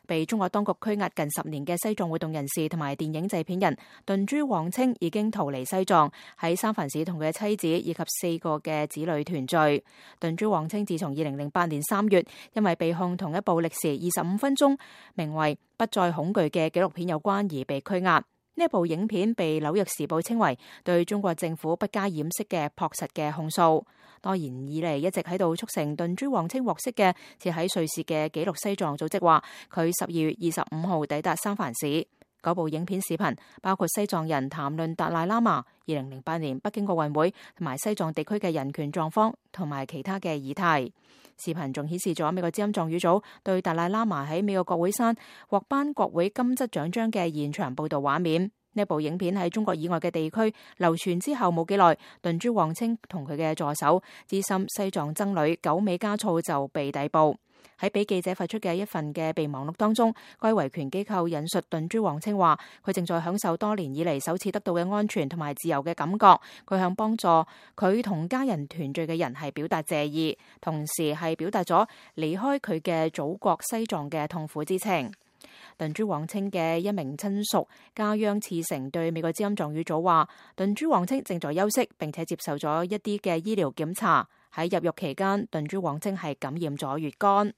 被中國當局拘押近10年嘅西藏活動人士同埋電影製片人頓珠旺清已經逃離西藏，喺三藩市同佢嘅妻子以及4個嘅子女團聚。頓珠旺清自從2008年3月因為被控同一部歷時25分鐘名為《不再恐懼》嘅紀錄片有關而被拘押。呢一部影片被紐約時報稱為對中國政府不加掩飾嘅樸實嘅控訴。多年以嚟一直喺度促成頓珠旺清獲釋嘅，設喺瑞士嘅紀錄西藏組織話，佢12月25號抵達三藩市。嗰部影片視頻包括西藏人談論達賴喇嘛、2008年北京奧運會同埋西藏地區嘅人權狀況同埋其他嘅議題。視頻仲顯示咗美國之音藏語組對達賴喇嘛喺美國國會山獲頒國會金質獎章嘅現場報導畫面。呢部影片喺中國以外嘅地區流傳之後冇幾耐，頓珠旺清同佢嘅助手資深西藏僧侶久美加措就被逮捕。喺俾記者發出嘅一份嘅備忘錄當中，該維權機構引述頓珠旺清話，佢正在享受多年以嚟首次得到嘅安全同埋自由嘅感覺。佢向幫助佢同家人團聚嘅人係表達謝意，同時係表達咗離開佢嘅祖國西藏嘅痛苦之情。頓珠旺清嘅一名親屬家央次成對美國之音藏語組話，頓珠旺清正在休息，並且接受咗一啲嘅醫療檢查。喺入獄期間，頓珠旺清係感染咗乙肝。